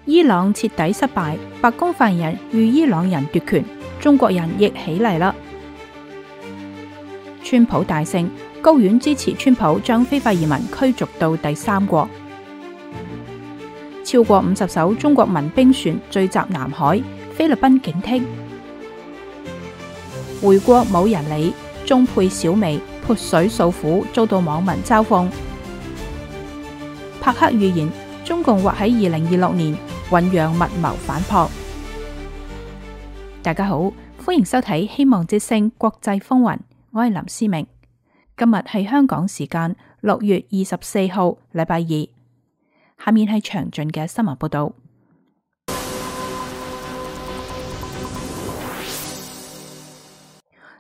伊朗徹底失敗，白宮發言人與伊朗人奪權，中國人亦起嚟啦。川普大勝，高院支持川普將非法移民驅逐到第三國。超過50艘中國民兵船聚集南海，菲律賓警惕。回國冇人理，中配小美潑水訴苦，遭到網民嘲諷。帕克預言中共或喺2026年醞釀密謀反撲。大家好，歡迎收睇希望之聲國際風雲，我係林思明。今日係香港時間6月24號，禮拜二。下面係詳盡嘅新聞報道。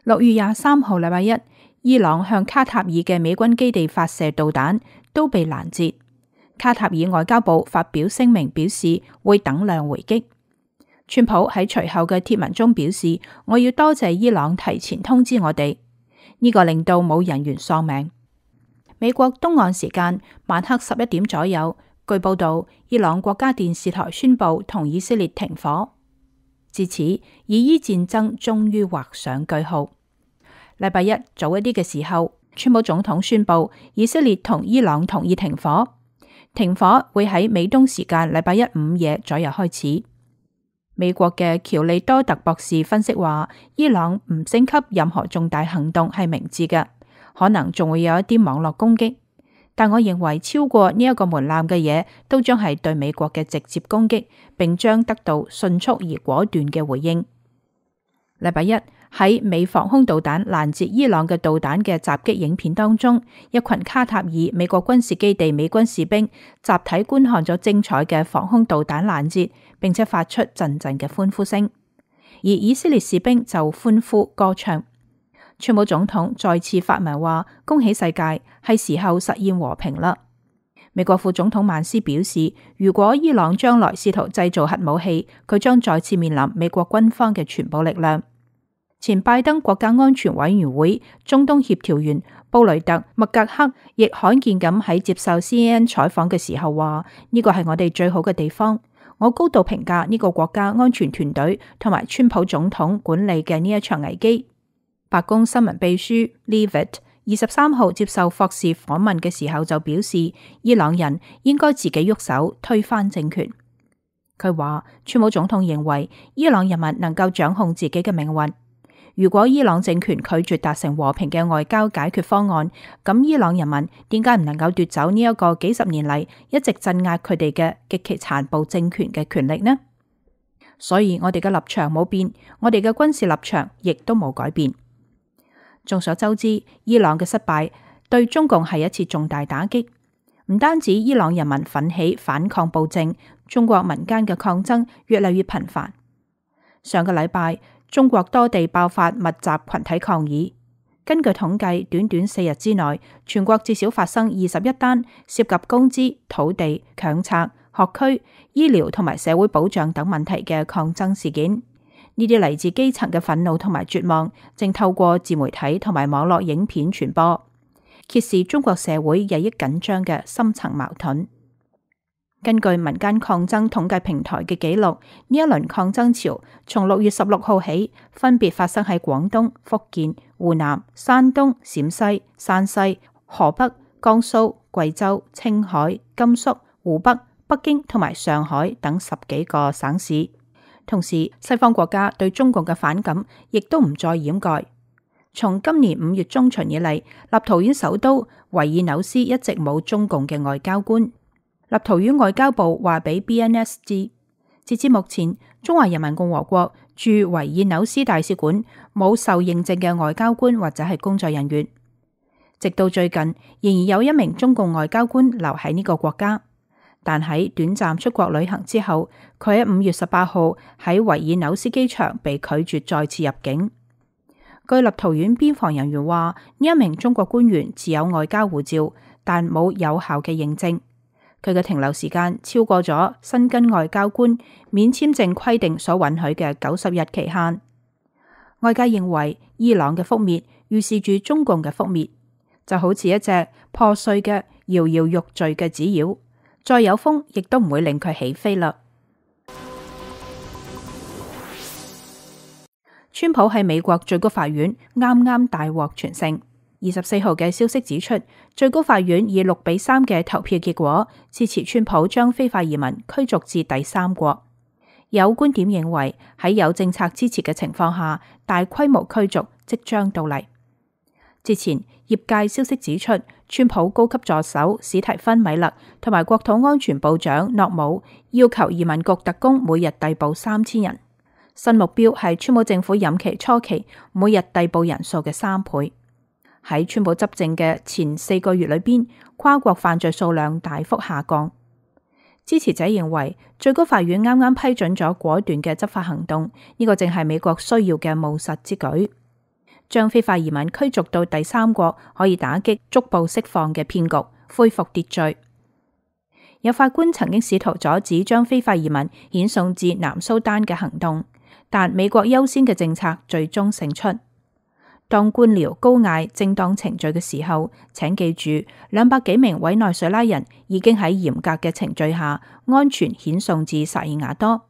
6月23號，禮拜一，伊朗向卡塔爾嘅美軍基地發射導彈，都被攔截。卡塔爾外交部發表聲明表示會等量回擊。川普喺隨後嘅貼文中表示，我要多謝伊朗提前通知我哋，呢個令到冇人員喪命。美國東岸時間晚黑11點左右，據報道，伊朗國家電視台宣布同以色列停火，至此以伊戰爭終於畫上句號。禮拜一早一啲嘅時候，川普總統宣布以色列同伊朗同意停火。停火會喺美東時間禮拜一午夜左右開始。美國嘅喬利多特博士分析話，伊朗唔升級任何重大行動係明智嘅，可能仲會有一啲網絡攻擊。但我認為超過呢一個門檻嘅嘢，都將係對美國嘅直接攻擊，並將得到迅速而果斷嘅回應。禮拜一喺美防空導彈攔截伊朗嘅導彈嘅襲擊影片當中，一群卡塔爾美國軍事基地美軍士兵集體觀看咗精彩嘅防空導彈攔截，並且發出陣陣嘅歡呼聲。而以色列士兵就歡呼歌唱。川普總統再次發文話：恭喜世界，係時候實現和平啦。美國副總統曼斯表示，如果伊朗將來試圖製造核武器，佢將再次面臨美國軍方嘅全部力量。前拜登國家安全委員會中東協調員布雷特·麥格克亦罕見咁喺接受 CNN 採訪嘅時候話：呢個係我哋最好嘅地方，我高度評價呢個國家安全團隊同埋川普總統管理嘅呢一場危機。白宮新聞秘書 Leavitt 23號接受霍士訪問嘅時候就表示，伊朗人應該自己喐手推翻政權。佢話川普總統認為伊朗人民能夠掌控自己嘅命運。如果伊朗政權拒絕達成和平嘅外交解決方案，咁伊朗人民點解唔能夠奪走呢一個幾十年嚟一直鎮壓佢哋嘅極其殘暴政權嘅權力呢？所以我哋嘅立場冇變，我哋嘅軍事立場亦都冇改變。眾所周知，伊朗嘅失敗對中共係一次重大打擊，唔單止伊朗人民奮起反抗暴政，中國民間嘅抗爭越嚟越頻繁。上個禮拜，中國多地爆發密集群體抗議。根據統計，短短4日之內，全國至少發生21單涉及工資、土地、強拆、學區、醫療同埋社會保障等問題嘅抗爭事件。呢啲嚟自基層嘅憤怒同埋絕望，正透過自媒體同埋網絡影片傳播，揭示中國社會日益緊張嘅深層矛盾。根據民間抗爭統計平台嘅記錄，呢一輪抗爭潮從6月16號起，分別發生喺廣東、福建、湖南、山東、陝西、山西、河北、江蘇、貴州、青海、甘肅、湖北、北京同埋上海等10幾個省市。同時，西方國家對中共嘅反感亦都唔再掩蓋。從今年5月中旬以嚟，立陶宛首都維爾紐斯一直冇中共嘅外交官。立陶宛外交部話俾 BNS 知，截至目前，中華人民共和國駐維爾紐斯大使館冇受認證嘅外交官或者係工作人員。直到最近，仍然有一名中共外交官留喺呢個國家，但喺短暫出國旅行之後，佢喺5月18號喺維爾紐斯機場被拒絕再次入境。據立陶宛邊防人員話，呢一名中國官員持有外交護照，但冇有效嘅認證。佢嘅停留時間超過咗申根外交官免簽證規定所允許嘅90日期限。外界認為伊朗嘅覆滅預示住中共嘅覆滅，就好似一隻破碎嘅搖搖欲墜嘅紙鷂，再有風亦都唔會令佢起飛啦。川普喺美國最高法院啱啱大獲全勝。24號嘅消息指出，最高法院以6-3嘅投票結果支持川普將非法移民驅逐至第三國。有觀點認為，喺有政策支持嘅情況下，大規模驅逐即將到嚟。之前業界消息指出，川普高級助手史提芬米勒同埋國土安全部長諾姆要求移民局特工每日逮捕3000人，新目標係川普政府任期初期每日逮捕人數嘅3倍。喺川普執政嘅前4個月裏邊，跨國犯罪數量大幅下降。支持者認為，最高法院啱啱批准咗果斷嘅執法行動，呢個正係美國需要嘅務實之舉。將非法移民驅逐到第三國，可以打擊逐步釋放嘅騙局，恢復秩序。有法官曾經試圖阻止將非法移民遣送至南蘇丹嘅行動，但美國優先嘅政策最終勝出。當官僚高嗌正當程序嘅時候，請記住，200幾名委內瑞拉人已經喺嚴格嘅程序下安全遣送至薩爾瓦多。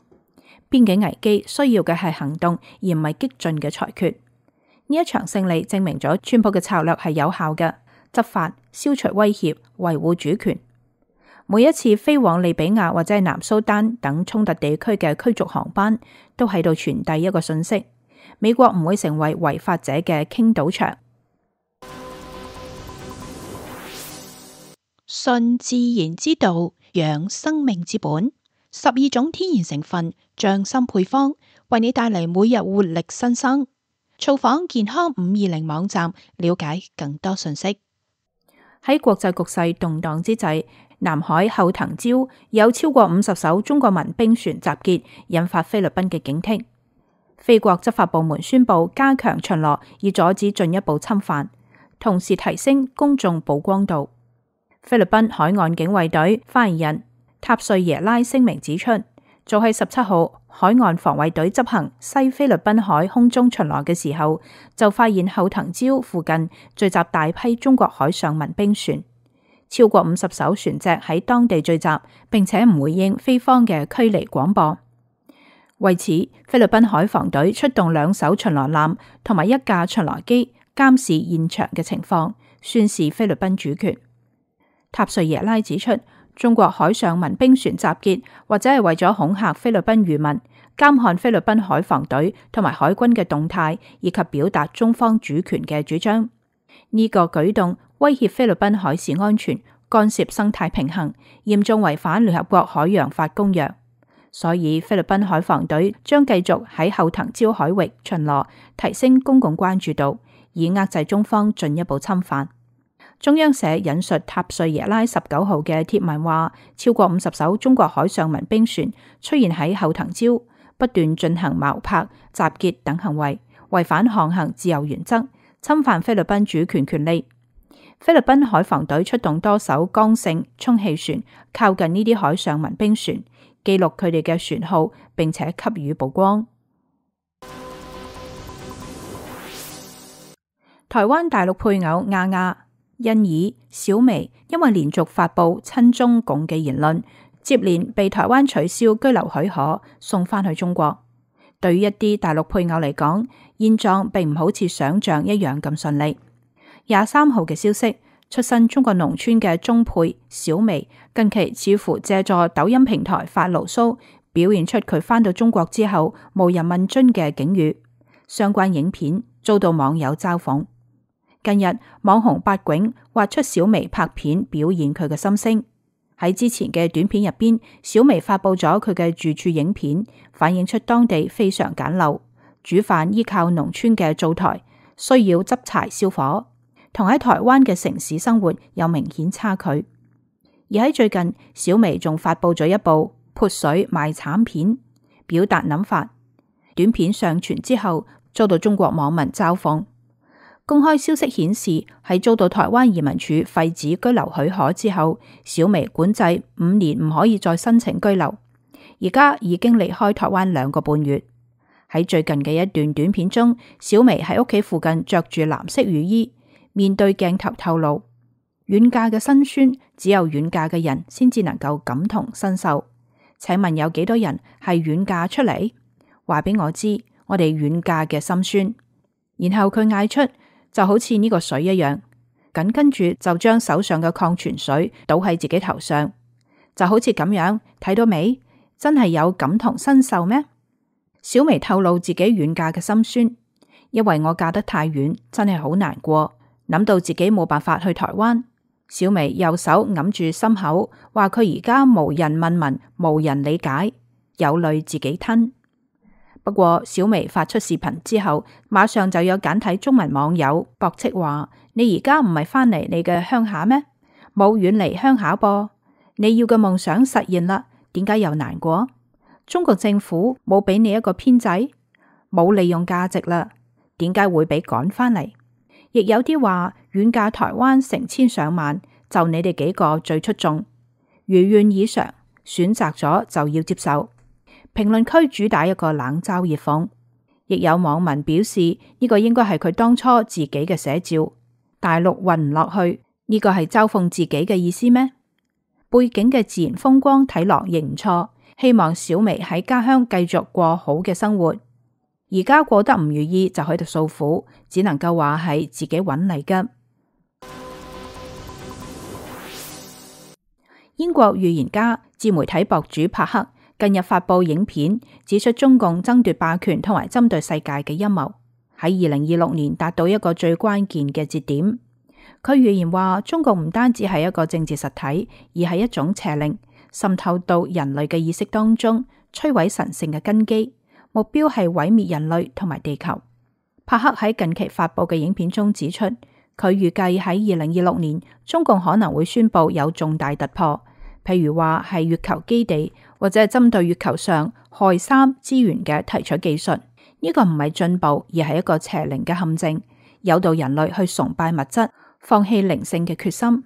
邊境危機需要嘅係行動，而唔係激進嘅裁決。呢一場勝利證明咗川普嘅策略係有效嘅，執法、消除威脅、維護主權。每一次飛往利比亞或者係南蘇丹等衝突地區嘅驅逐航班，都喺度傳遞一個訊息：美國唔會成為違法者嘅傾倒場。順自然之道，養生命之本，12種天然成分，匠心配方，為你帶嚟每日活力新生。造訪健康520網站，了解更多信息。喺國際局勢動盪之際，南海後藤礁有超過50艘中國民兵船集結，引發菲律賓嘅警惕。菲國執法部門宣布加強巡邏，以阻止進一步侵犯，同時提升公眾曝光度。菲律賓海岸警衛隊發言人塔瑞耶拉聲明指出，早喺17號海岸防衛隊執行西菲律賓海空中巡邏嘅時候，就發現後藤礁附近聚集大批中國海上民兵船，超過50艘船隻喺當地聚集，並且唔回應菲方嘅驅離廣播。為此，菲律賓海防隊出動2艘巡邏艦同埋1架巡邏機監視現場嘅情況，宣示菲律賓主權。塔瑞耶拉指出，中國海上民兵船集結或者係為咗恐嚇菲律賓漁民，監看菲律賓海防隊同埋海軍嘅動態，以及表達中方主權嘅主張。呢個舉動威脅菲律賓海事安全，干涉生態平衡，嚴重違反聯合國海洋法公約。所以菲律賓海防隊將繼續喺後藤礁海域巡邏，提升公共關注度，以遏制中方進一步侵犯。中央社引述塔瑞耶拉19號嘅貼文話，超過50艘中國海上民兵船出現喺後藤礁，不斷進行錨泊、集結等行為，違反航行自由原則，侵犯菲律賓主權權利。菲律賓海防隊出動多艘剛性充氣船，靠近呢啲海上民兵船，記錄佢哋嘅船號，並且給予曝光。台灣大陸配偶亞亞、欣宜、小薇因為連續發布親中共嘅言論，接連被台灣取消居留許可，送返去中國。對於一啲大陸配偶嚟講，現狀並唔好似想象一樣咁順利。23號嘅消息，出身中國農村嘅中配小薇近期似乎借助抖音平台發牢騷，表現出佢返到中國之後無人問津嘅境遇。相關影片遭到網友嘲諷。近日網紅八囧挖出小薇拍片，表現佢嘅心聲。喺之前嘅短片入邊，小薇發佈咗佢嘅住處影片，反映出當地非常簡陋，煮飯依靠農村嘅灶台，需要執柴燒火，同喺台灣嘅城市生活有明顯差距。而喺最近，小薇仲發佈咗一部潑水賣慘片，表達諗法。短片上傳之後，遭到中國網民嘲諷。公開消息顯示，喺遭到台灣移民署廢止居留許可之後，小薇管制5年唔可以再申請居留。而家已經離開台灣2個半月。喺最近嘅一段短片中，小薇喺屋企附近着住藍色雨衣，面對鏡頭透露，遠嫁嘅辛酸只有遠嫁嘅人先至能夠感同身受。請問有幾多人係遠嫁出嚟？話俾我知，我哋遠嫁嘅心酸。然後佢嗌出，就好似呢個水一樣，緊跟住就將手上嘅礦泉水倒喺自己頭上，就好似咁樣，睇到未？真係有感同身受咩？小薇透露自己遠嫁嘅心酸，因為我嫁得太遠，真係好難過。諗到自己冇辦法去台灣，小薇右手揞住心口，話佢而家無人問問，無人理解，有淚自己吞。不過小薇發出視頻之後，馬上就有簡體中文網友駁斥話：你而家唔係返嚟你嘅鄉下咩？冇遠離鄉下噃，你要嘅夢想實現啦，點解又難過？中國政府冇俾你一個編制，冇利用價值啦，點解會俾趕返嚟？亦有啲話遠嫁台灣成千上萬，就你哋幾個最出眾，如願以償，選擇咗就要接受。評論區主打一個冷嘲熱諷，亦有網民表示呢個應該係佢當初自己嘅寫照。大陸混唔落去，呢個係嘲諷自己嘅意思咩？背景嘅自然風光睇落亦唔錯，希望小薇喺家鄉繼續過好嘅生活。而家過得唔如意就喺度訴苦，只能夠話係自己搵嚟㗎。英國預言家、自媒體博主帕克近日發佈影片，指出中共爭奪霸權同埋針對世界嘅陰謀喺2026年達到一個最關鍵嘅節點。佢預言話，中共唔單止係一個政治實體，而係一種邪靈，滲透到人類嘅意識當中，摧毀神聖嘅根基。目標係毀滅人類同埋地球。帕克喺近期發佈嘅影片中指出，佢預計喺2026年，中共可能會宣布有重大突破，譬如話係月球基地或者係針對月球上氦三資源嘅提取技術。呢個唔係進步，而係一個邪靈嘅陷阱，誘導人類去崇拜物質，放棄靈性嘅決心。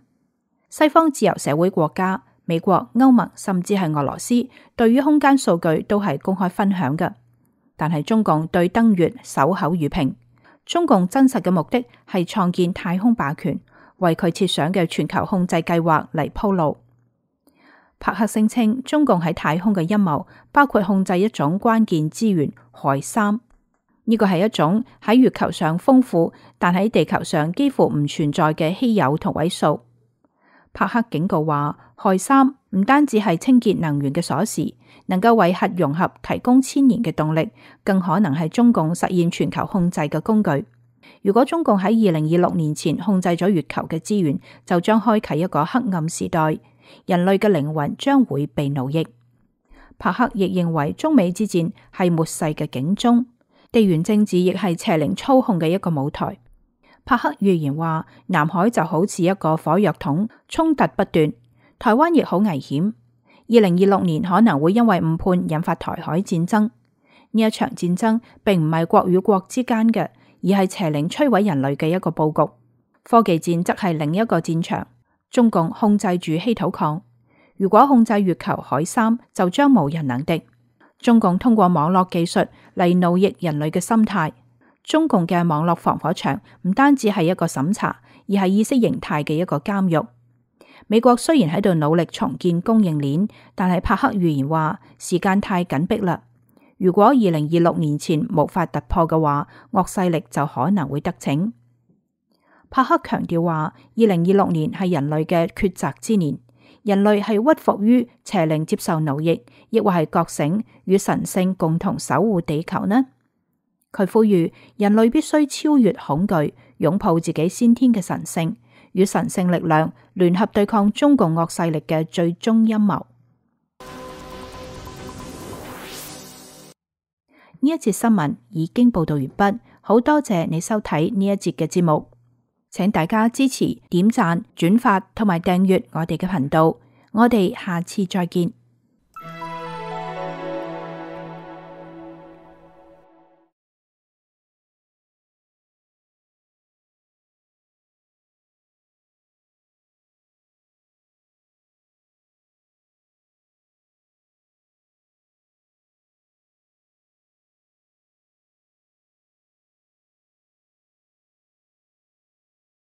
西方自由社會國家、美國、歐盟甚至係俄羅斯，對於空間數據都係公開分享嘅。但係中共對登月守口如瓶。中共真實嘅目的係創建太空霸權，為佢設想嘅全球控制計劃嚟鋪路。帕克聲稱，中共喺太空嘅陰謀包括控制一種關鍵資源氦三，呢個係一種喺月球上豐富，但喺地球上幾乎唔存在嘅稀有同位素。帕克警告話，氦三唔單止係清潔能源嘅鎖匙，能夠為核融合提供千年嘅動力，更可能係中共實現全球控制嘅工具。如果中共喺2026年前控制咗月球嘅資源，就將開啟一個黑暗時代，人類嘅靈魂將會被奴役。帕克亦認為中美之戰係末世嘅警鐘，地緣政治亦係邪靈操控嘅一個舞台。帕克預言話，南海就好似一個火藥桶，衝突不斷，台灣亦好危險。2026年可能會因為誤判引發台海戰爭。呢一場戰爭並唔係國與國之間嘅，而係邪靈摧毀人類嘅一個佈局。科技戰則係另一個戰場。中共控制住稀土礦，如果控制月球氦三，就將無人能敵。中共通過網絡技術嚟奴役人類嘅心態。中共嘅網絡防火牆唔單止係一個審查，而係意識形態嘅一個監獄。美國雖然喺度努力重建供應鏈，但係帕克預言話時間太緊迫啦。如果2026年前無法突破嘅話，惡勢力就可能會得逞。帕克強調話，2026年係人類嘅抉擇之年，人類係屈服於邪靈接受奴役，抑或係覺醒與神聖共同守護地球呢？佢呼籲人類必須超越恐懼，擁抱自己先天嘅神聖，與神聖力量聯合對抗中共惡勢力嘅最終陰謀。呢一節新聞已經報道完畢，好多謝你收睇呢一節嘅節目，請大家支持、點讚、轉發同埋訂閱我哋嘅頻道，我哋下次再見。